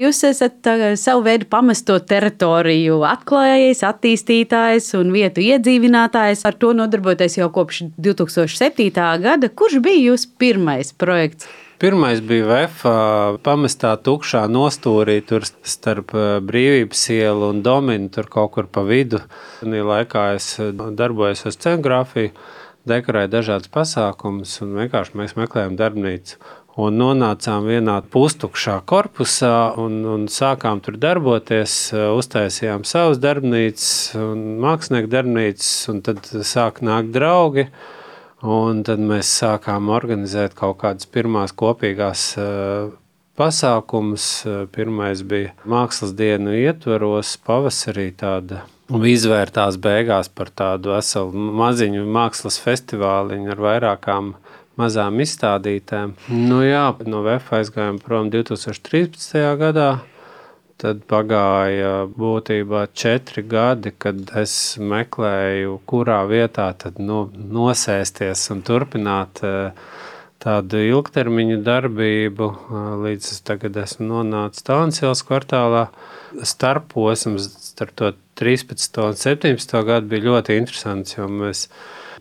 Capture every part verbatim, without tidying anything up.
Jūs esat uh, savu veidu pamesto teritoriju atklājējs, attīstītājs un vietu iedzīvinātājs. Ar to nodarboties jau kopš divi tūkstoši septītā gada. Kurš bija jūsu pirmais projekts? Pirmais bija Vefa pamestā tukšā nostūrī tur starp Brīvības ielu un Dominu, tur kaut kur pa vidu. Tajā laikā es darbojos ar scenogrāfiju, dekorēju dažādas pasākumus un vienkārši mēs meklējām darbnīcu. Un nonācām vienā pustukšā korpusā un, un sākām tur darboties, uztaisījām savas darbnīcas un mākslinieku darbnīcas, un tad sāk nākt draugi. Un tad mēs sākām organizēt kaut kādas pirmās kopīgās uh, pasākumus. Pirmais bija mākslas dienu ietvaros, pavasarī tāda izvērtās beigās par tādu veselu maziņu mākslas festivāliņu ar vairākām mazām izstādītēm. Nu jā, no Vefa aizgājām prom divi tūkstoši trīspadsmitajā gadā. Tad pagāja būtībā četri gadi, kad es meklēju, kurā vietā tad nu, nosēsties un turpināt tādu ilgtermiņu darbību. Līdz es tagad esmu nonācis Tallinas ielas kvartālā. Starposms starp to trīspadsmito un septiņpadsmito gadu bija ļoti interesants, jo mēs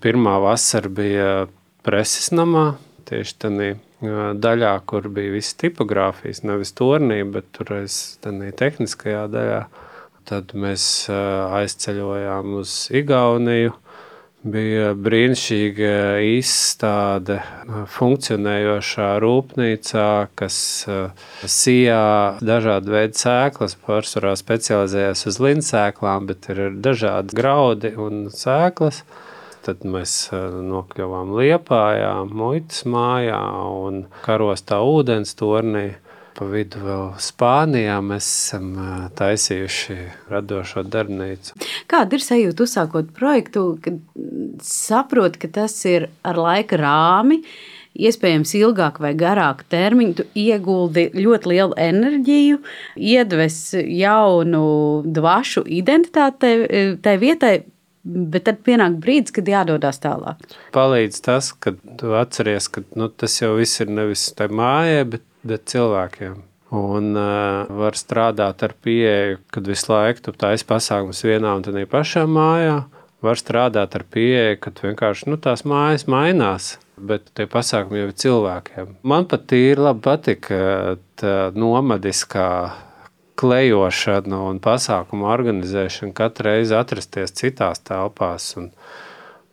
pirmā vasara bija preses namā, tieši tādā daļā, kur bija visas tipogrāfijas, nevis tornī, bet tur aiz tādā tehniskajā daļā. Tad mēs aizceļojām uz Igauniju. Bija brīnišķīga izstāde funkcionējošā rūpnīcā, kas sijā dažādu veidu sēklas, pārsvarā specializējās uz lindsēklām, bet ir dažādi graudi un sēklas. Tad mēs nokļuvām Liepājā, muitas mājā un Karostā ūdens tornī. Pa vidu vēl Spānijā mēs esam taisījuši radošo darbnīcu. Kāda ir sajūta uzsākot projektu, kad saprot, ka tas ir ar laika rāmi, iespējams ilgāk vai garāku termiņu, tu ieguldi ļoti lielu enerģiju, iedves jaunu dvašu identitāti tai vietai, bet tad pienāk brīdis, kad jādodas tālāk. Palīdz tas, ka tu atceries, ka nu, tas jau viss ir nevis tai mājai, bet, bet cilvēkiem. Un uh, var strādāt ar pieeju, kad visu laiku tu taisi pasākumus vienā un tādā pašā mājā. Var strādāt ar pieeju, kad vienkārši nu, tās mājas mainās, bet tie pasākumi jau ir cilvēkiem. Man pat tīri labi patika tā nomadiskā klejošana un pasākumu organizēšana katru reizi atrasties citās telpās. Un,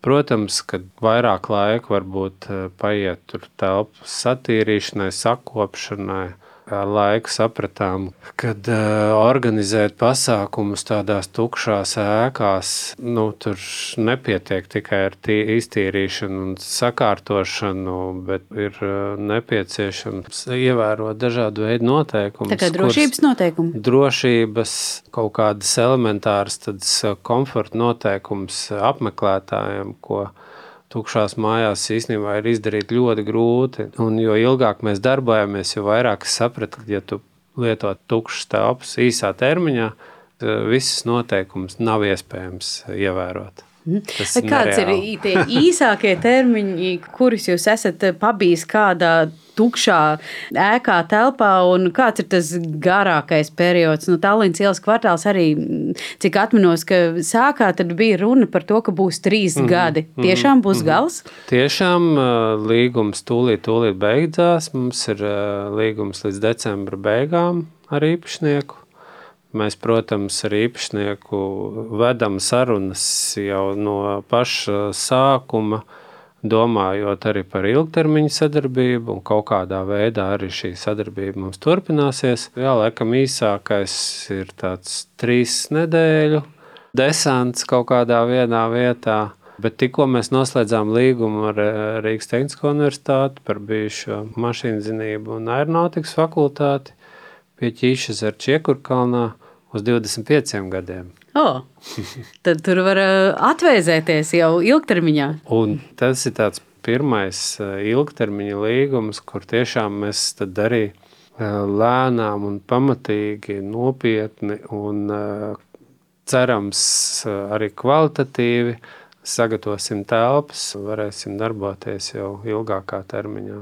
protams, kad vairāk laika varbūt paiet tur telpas satīrīšanai, sakopšanai. Ar laiku sapratām, kad uh, organizēt pasākumus tādās tukšās ēkās, nu, tur nepietiek tikai ar tī, iztīrīšanu un sakārtošanu, bet ir uh, nepieciešams ievērot dažādu veidu noteikumus. Tā kā drošības noteikumi? Drošības, kaut kādas elementāras, tādas komforta noteikums apmeklētājiem, ko tukšās mājās īstenībā ir izdarīt ļoti grūti. Un jo ilgāk mēs darbojamies, jo vairāk es sapratu, ka ja tu lieto tukšas telpas īsā termiņā, visas noteikumus nav iespējams ievērot. Tas Kāds nereāli. Ir tie īsākie termiņi, kurus jūs esat pabijis kādā tukšā ēkā telpā, un kāds ir tas garākais periods? Nu, Tallinas ielas kvartāls arī, cik atminos, ka sākā tad bija runa par to, ka būs trīs mm-hmm. gadi. Tiešām būs mm-hmm. gals? Tiešām līgums tūlīt, tūlīt beidzās. Mums ir līgums līdz decembra beigām ar īpašnieku. Mēs, protams, ar īpašnieku vedam sarunas jau no paša sākuma, domājot arī par ilgtermiņu sadarbību, un kaut kādā veidā arī šī sadarbība mums turpināsies. Jā, laikam īsākais ir tāds trīs nedēļu desants kaut kādā vienā vietā, bet tikko mēs noslēdzām līgumu ar Rīgas Tehnisko universitāti par bijušo mašīnzinību un aeronautikas fakultāti pie Ķīšezeru Čiekurkalnā uz divdesmit pieciem gadiem. O, tad tur var atvēzēties jau ilgtermiņā. Un tas ir tāds pirmais ilgtermiņa līgums, kur tiešām mēs tad arī lēnām un pamatīgi, nopietni un cerams arī kvalitatīvi sagatavosim telpas, varēsim darboties jau ilgākā termiņā.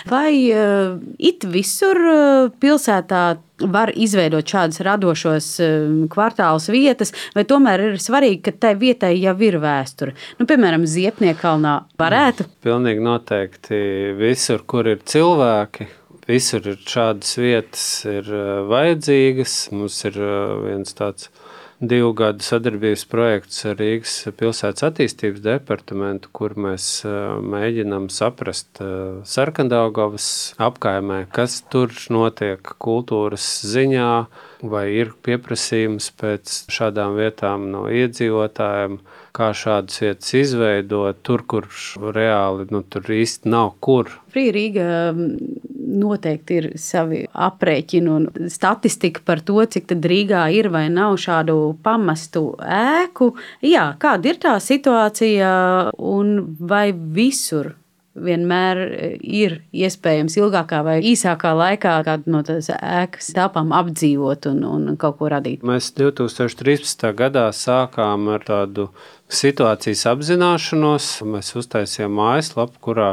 Vai uh, it visur uh, pilsētā var izveidot šādas radošos uh, kvartālus vietas, vai tomēr ir svarīgi, ka tai vietai jau ir vēsture? Nu, piemēram, Ziepniekalnā varētu? Pilnīgi noteikti visur, kur ir cilvēki, visur ir šādas vietas ir uh, vajadzīgas. Mums ir uh, viens tāds divu gadu sadarbības projekts ar Rīgas pilsētas attīstības departamentu, kur mēs mēģinām saprast Sarkandaugavas apkaimē, kas tur notiek kultūras ziņā, vai ir pieprasījums pēc šādām vietām no iedzīvotājiem, kā šādas vietas izveidot, tur, kur reāli nu, tur īsti nav kur. Free Rīga noteikti ir savi aprēķini un statistika par to, cik tad Rīgā ir vai nav šādu pamestu ēku. Jā, kāda ir tā situācija un vai visur vienmēr ir iespējams ilgākā vai īsākā laikā kādu no tās ēkas telpām apdzīvot un, un kaut ko radīt? Mēs divi tūkstoši trīspadsmitā gadā sākām ar tādu situācijas apzināšanos. Mēs uztaisījām mājaslapu, kurā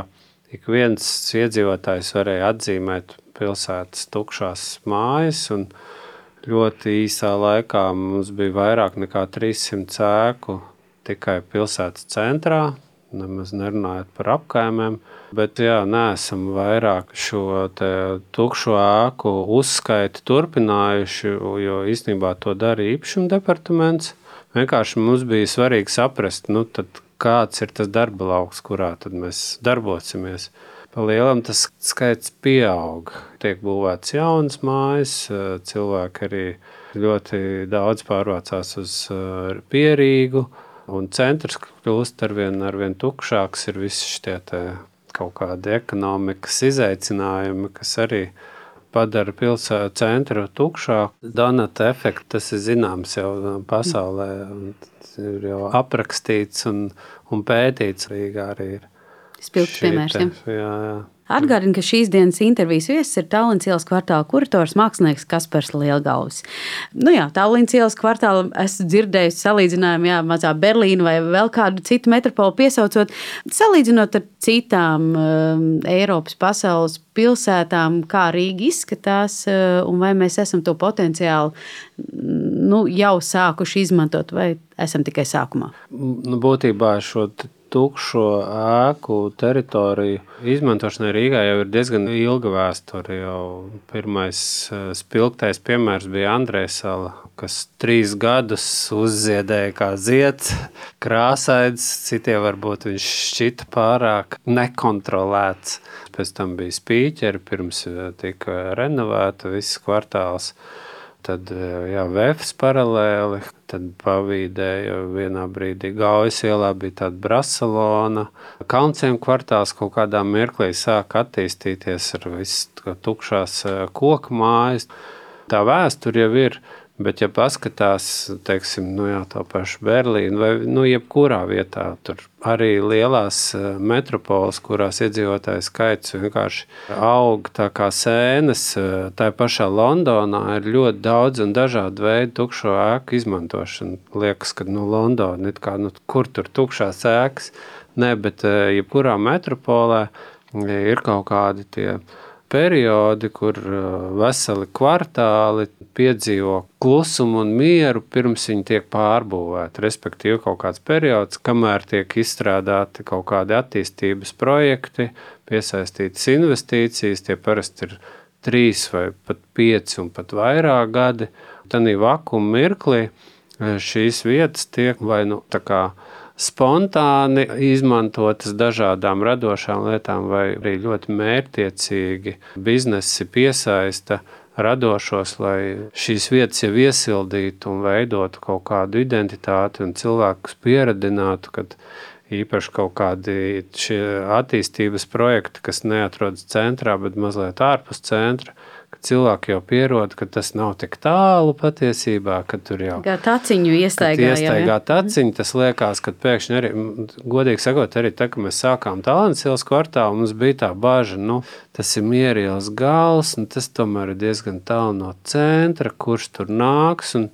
ik viens iedzīvotājs varēja atzīmēt pilsētas tukšās mājas, un ļoti īsā laikā mums bija vairāk nekā trīssimts ēku tikai pilsētas centrā, nemaz nerunājot par apkaimēm, bet jā, neesam vairāk šo te tukšo ēku uzskaiti turpinājuši, jo īstenībā to dara īpašuma departaments. Vienkārši mums bija svarīgi saprast, nu tad kāds ir tas darba lauks, kurā tad mēs darbosimies. Pa lielam tas skaits pieaug. Tiek būvēts jaunas mājas, cilvēki arī ļoti daudz pārvācās uz Pierīgu, un centrs kļūst arvien, arvien tukšāks, ir visi šie te kaut kādi ekonomikas izaicinājumi, kas arī padara pilsētu centru tukšāku. Donata efekts, tas ir zināms jau pasaulē, ir jau aprakstīts un, un pētīts. Rīgā arī ir. Spilgts piemērs, ja? Jā, jā. Atgādinu, ka šīs dienas intervijas viesis ir Tallinas ielas kvartāla kurators mākslinieks Kaspars Lielgalvis. Nu jā, Tallinas ielas kvartāla esmu dzirdējusi salīdzinājumu, jā, mazā Berlīnu vai vēl kādu citu metropolu piesaucot. Salīdzinot ar citām um, Eiropas pasaules pilsētām, kā Rīga izskatās, uh, un vai mēs esam to potenciāli nu, jau sākuši izmantot, vai esam tikai sākumā? Nu, būtībā šo tukšo ēku teritoriju izmantošanai Rīgā jau ir diezgan ilga vēsture. Jau pirmais spilgtais piemērs bija Andrēsala, kas trīs gadus uzziedēja kā zieds, krāsains, citiem varbūt viņš šķita pārāk nekontrolēts. Pēc tam bija Spīķeri, pirms tika renovēta viss kvartāls. Tad jā, Vefs paralēli, tad pavīdēja vienā brīdī Gaujas ielā bija tāda Brasalona. Kaunciem kvartāls kaut kādā mirklī sāk attīstīties ar visu tukšās koku mājas. Tā vēsture jau ir, bet ja paskatās, teiksim, nu jā, tā paša Berlīna vai nu jebkurā vietā, tur arī lielās metropoles, kurās iedzīvotāju skaits vienkārši aug tā kā sēnes, tā pašā Londonā ir ļoti daudz un dažādu veidu tukšo ēku izmantošana. Liekas, ka nu Londona, it kā, nu kur tur tukšās ēkas, ne, bet jebkurā metropolē ir kaut kādi tie periodi, kur veseli kvartāli piedzīvo klusumu un mieru, pirms viņi tiek pārbūvēti. Respektīvi kaut kāds periods, kamēr tiek izstrādāti kaut kādi attīstības projekti, piesaistītas investīcijas, tie parasti ir trīs vai pat pieci un pat vairāk gadi. Tanī vakuma mirklī šīs vietas tiek vai nu tā kā spontāni izmantotas dažādām radošām lietām vai arī ļoti mērķtiecīgi biznesi piesaista radošos, lai šīs vietas jau iesildītu un veidotu kaut kādu identitāti un cilvēkus pieradinātu, kad īpaši kaut kādi šie attīstības projekti, kas neatrodas centrā, bet mazliet ārpus centra, ka cilvēki jau pierod, ka tas nav tik tālu patiesībā, ka tur jau kā taciņu iestaigā, iestaigā taciņu, tas liekas, ka pēkšņi arī, godīgi sakot, arī tā, ka mēs sākām Tallinas ielas kvartālu, mums bija tā baža, nu, tas ir Mierielas gals, un tas tomēr ir diezgan tālu no centra, kurš tur nāks, un,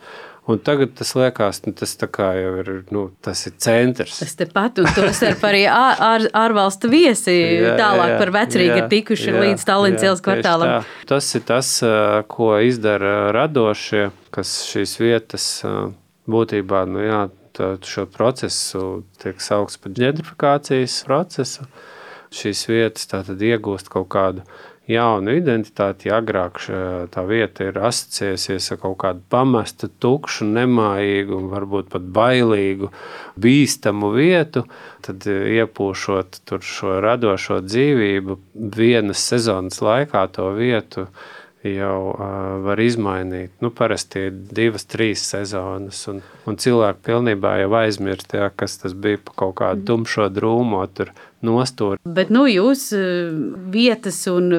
Un tagad tas liekas, nu, tas tā kā jau ir, nu, tas ir centrs. Tas tepat, un tos ar arī ār, ār, ārvalstu viesi jā, tālāk jā, par Vecrīgu ir tikuši jā, līdz Tallinas ielas kvartālam. Tas ir tas, ko izdara radošie, kas šīs vietas būtībā, nu jā, šo procesu tiek saukts par ģentrifikācijas procesu. Šīs vietas tātad iegūst kaut kādu jaunu identitāti. Ja agrāk tā vieta ir asociējusies ar kaut kādu pamestu, tukšu, nemājīgu un varbūt pat bailīgu, bīstamu vietu, tad iepūšot tur šo radošo dzīvību vienas sezonas laikā to vietu jau uh, var izmainīt. Nu, parasti ir divas, trīs sezonas, un, un cilvēki pilnībā jau aizmirst, jā, kas tas bija pa kaut kādu tumšo drūmo tur nostūri. Bet nu, jūs vietas un,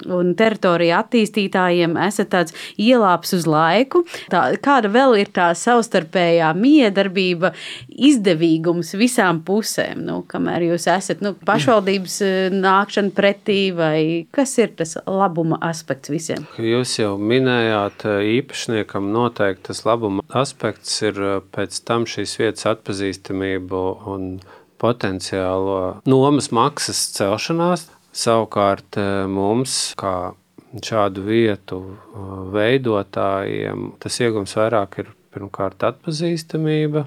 un teritorija attīstītājiem esat tāds ielāps uz laiku. Tā, kāda vēl ir tā savstarpējā miedarbība, izdevīgums visām pusēm? Nu, kamēr jūs esat nu, pašvaldības nākšana pretī, vai kas ir tas labuma aspekts visiem? Jūs jau minējāt, īpašniekam noteikti tas labuma aspekts ir pēc tam šīs vietas atpazīstamību un potenciālo nomas maksas celšanās. Savukārt mums, kā šādu vietu veidotājiem, tas iegums vairāk ir pirmkārt atpazīstamība.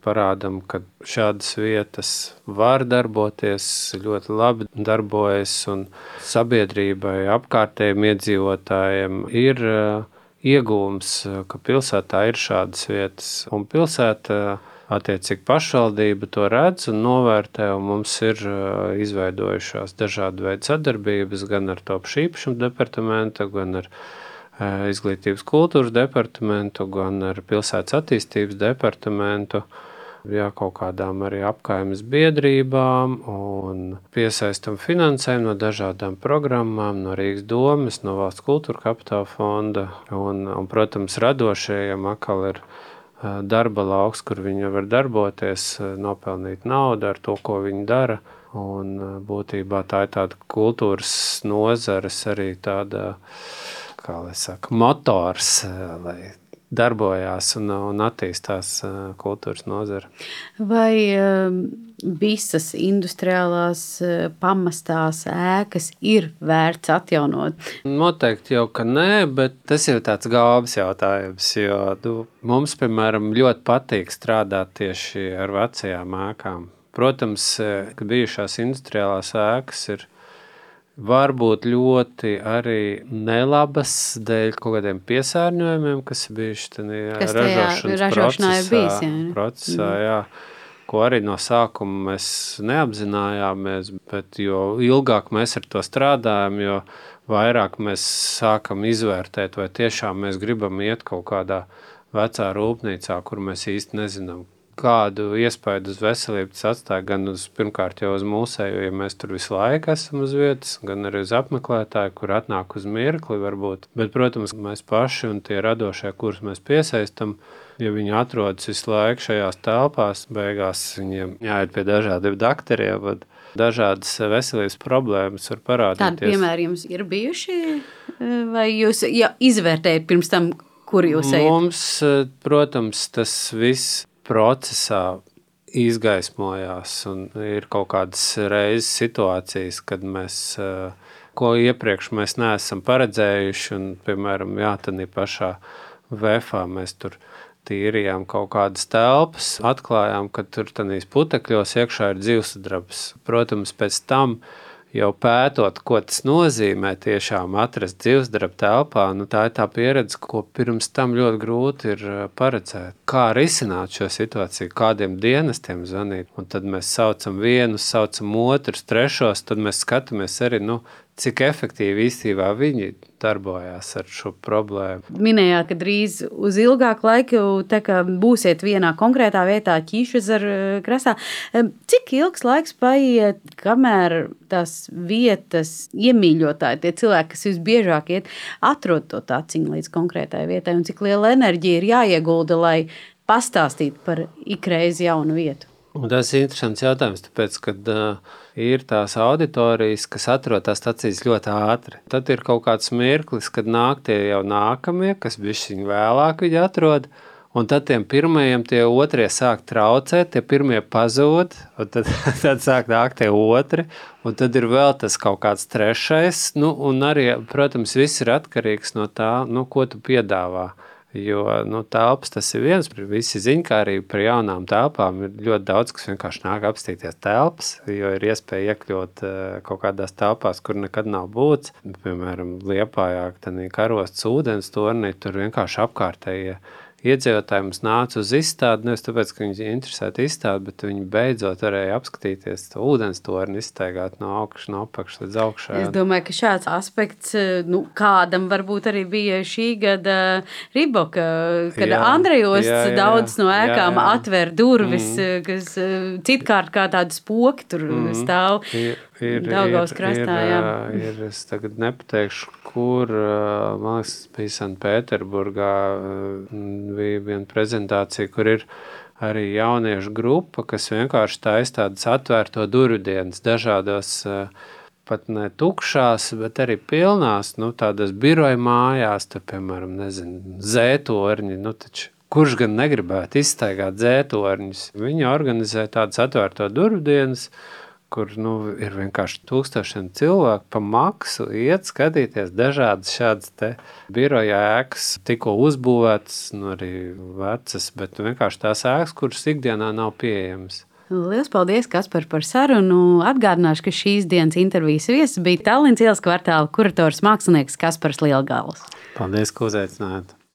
Parādam, ka šādas vietas var darboties, ļoti labi darbojas, un sabiedrībai, apkārtējiem iedzīvotājiem ir iegūms, ka pilsētā ir šādas vietas, un pilsēta attiecīgi pašvaldība to redz un novērtē, un mums ir izveidojušās dažādi veidi sadarbības gan ar Taupas īpašumu departamentu, gan ar Izglītības kultūras departamentu, gan ar Pilsētas attīstības departamentu, jā, kaut kādām arī apkaimes biedrībām, un piesaistam finansējumu no dažādām programmām, no Rīgas domes, no Valsts kultūra kapitāla fonda, un, un protams, radošajiem atkal ir darba lauks, kur viņi var darboties, nopelnīt naudu ar to, ko viņi dara. Un būtībā tā ir tāda kultūras nozares arī tāda, kā lai saka, motors, lai darbojās un, un attīstās kultūras nozara. Vai visas industriālās pamestās ēkas ir vērts atjaunot? Noteikti jau, ka nē, bet tas ir tāds galvas jautājums, jo nu, mums, piemēram, ļoti patīk strādāt tieši ar vecajām ēkām. Protams, ka bijušās industriālās ēkas ir varbūt ļoti arī nelabas dēļ kaut kādiem piesārņojumiem, kas ir bijuši tādā ražošanas ražošanā procesā, ir bijis, jā, ne? procesā mm. jā, ko arī no sākuma mēs neapzinājāmies, bet jo ilgāk mēs ar to strādājam, jo vairāk mēs sākam izvērtēt, vai tiešām mēs gribam iet kaut kādā vecā rūpnīcā, kur mēs īsti nezinām, kādu iespēju uz veselību tas atstāja, gan uz, pirmkārt jau uz mūsēju, ja mēs tur visu laiku esam uz vietas, gan arī uz apmeklētāju, kur atnāk uz mirkli varbūt. Bet, protams, mēs paši un tie radošie, kurus mēs piesaistam, ja viņi atrodas visu laiku šajās telpās, beigās viņiem jāiet pie dažādiem dakteriem, bet dažādas veselības problēmas var parādīties. Tādi piemēri jums ir bijuši, vai jūs ja, izvērtējat pirms tam, kur jūs ejat? Mums, protams, tas viss procesā izgaismojās un ir kaut kādas reizes situācijas, kad mēs, ko iepriekš mēs neesam paredzējuši un, piemēram, jā, tādī pašā vefā mēs tur tīrījām kaut kādas telpas, atklājām, ka tur tādīs putekļos iekšā ir dzīvsudrabs. Protams, pēc tam jau pētot, ko tas nozīmē tiešām atrast dzīvsdrabu telpā, nu tā ir tā pieredze, ko pirms tam ļoti grūti ir paredzēt. Kā risināt šo situāciju, kādiem dienestiem zvanīt, un tad mēs saucam vienus, saucam otrus, trešos, tad mēs skatāmies arī, nu, cik efektīvi īstenībā viņi darbojās ar šo problēmu. Minējāt, ka drīz uz ilgāku laiku tā kā būsiet vienā konkrētā vietā Ķīšezeru krastā. Cik ilgs laiks paiet, kamēr tās vietas iemīļotāji, tie cilvēki, kas visbiežāk iet, atrod to taciņu līdz konkrētai vietai, un cik liela enerģija ir jāiegulda, lai pastāstītu par ikreiz jaunu vietu? Un tas ir interesants jautājums, tāpēc, kad uh, ir tās auditorijas, kas atrod tās stacijas ļoti ātri. Tad ir kaut kāds mirklis, kad nāk tie jau nākamie, kas bišķiņ vēlāk viņi atrod, Un tad tiem pirmajiem tie otrie sāk traucēt, tie pirmie pazūd, un tad, tad sāk nākt tie otri, un tad ir vēl tas kaut kāds trešais, nu, un arī, protams, viss ir atkarīgs no tā, nu, ko tu piedāvā. Jo nu, telpas tas ir viens, visi ziņkārīgi par jaunām telpām ir ļoti daudz, kas vienkārši nāk apstīties telpas, jo ir iespēja iekļūt kaut kādās telpās, kur nekad nav būts. Piemēram, Liepājā, tad Karostas ūdens tornī, tur vienkārši apkārtējie iedzīvotāji mums nāca uz izstādi, nevis tāpēc, ka viņi interesēti izstādi, bet viņi beidzot varēja apskatīties to ūdens torni, izstaigāt no augšas, no apakšas līdz augšai. Es domāju, ka šāds aspekts, nu, kādam varbūt arī bija šī gada Riboka, kad jā, Andrejos jā, jā, daudz no ēkām jā, jā. atver durvis, mm. kas citkārt kā tādu spoki tur mm. stāv. Ir, ir, Daugavas krastā, jā. Ir, ir, es tagad nepateikšu, kur, man liekas, bija Sanktpēterburgā, bija viena prezentācija, kur ir arī jauniešu grupa, kas vienkārši taisa tādas atvērto durvju dienas dažādos, pat ne tukšās, bet arī pilnās, nu, tādas biroja mājās, tur, piemēram, nezinu, zētorņi, nu, taču kurš gan negribētu izstaigāt zētorņus? Viņi organizē tādas atvērto durvju dienas, kur nu, ir vienkārši tūkstošiem cilvēku pa maksu iet skatīties dažādas šādas te biroja ēkas, tikko uzbūvētas, nu arī vecas, bet vienkārši tās ēkas, kuras ikdienā nav pieejamas. Lielas paldies, Kaspar, par sarunu. Atgādināšu, ka šīs dienas intervijas viesis bija Tallinas ielas kvartāla kurators mākslinieks Kaspars Lielgals. Paldies, ka uzaicinājāt.